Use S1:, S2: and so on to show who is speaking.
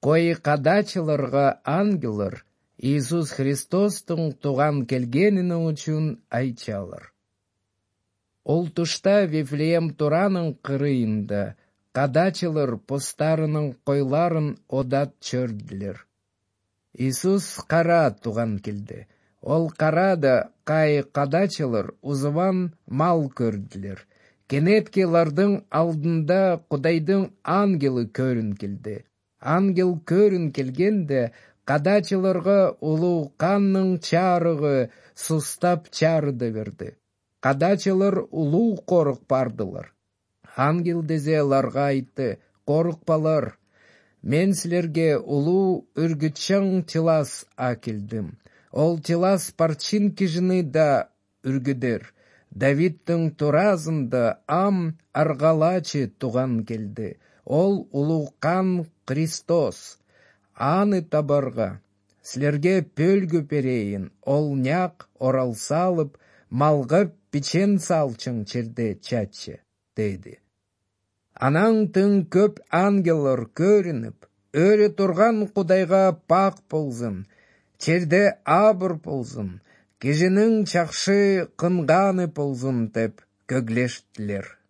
S1: Кой кадачыларга ангеллар Иисус Христостун туган келгенини үчүн айтчалар. Ол тушта Вифлеем туранын кырыйында кадачылар постарынын койларын одат чөрдүлөр. Иисус кара туган келди. Ол карада кай кадачылар узубан мал көрдүлөр. Кенетки алардын алдында Кудайдын ангели көрүн келди. Ангел көрүн келгенде кадачыларга улуу канның чарыгы сустап чарыды берди. Кадачылар улуу корук бардылар. Ангел дезе аларга айтты: корукпалар, мен силерге улуу үргүтчаң тилас акелдим. Ол тилас парчин кишини да үргүдөр. Давидтың туразында ам аргалачы туган келди. Ол улуу кан Христос. Аны табарга силерге пөлгү берейин. Ол няк орал салып, малга печен салчың черде чачы, деди. Анан тың көп ангеллар көрүнүп, өрө турган Кудайга пак болсун, черде абыр болсун, кишинин жакшы кынганы болсун деп көглештилер.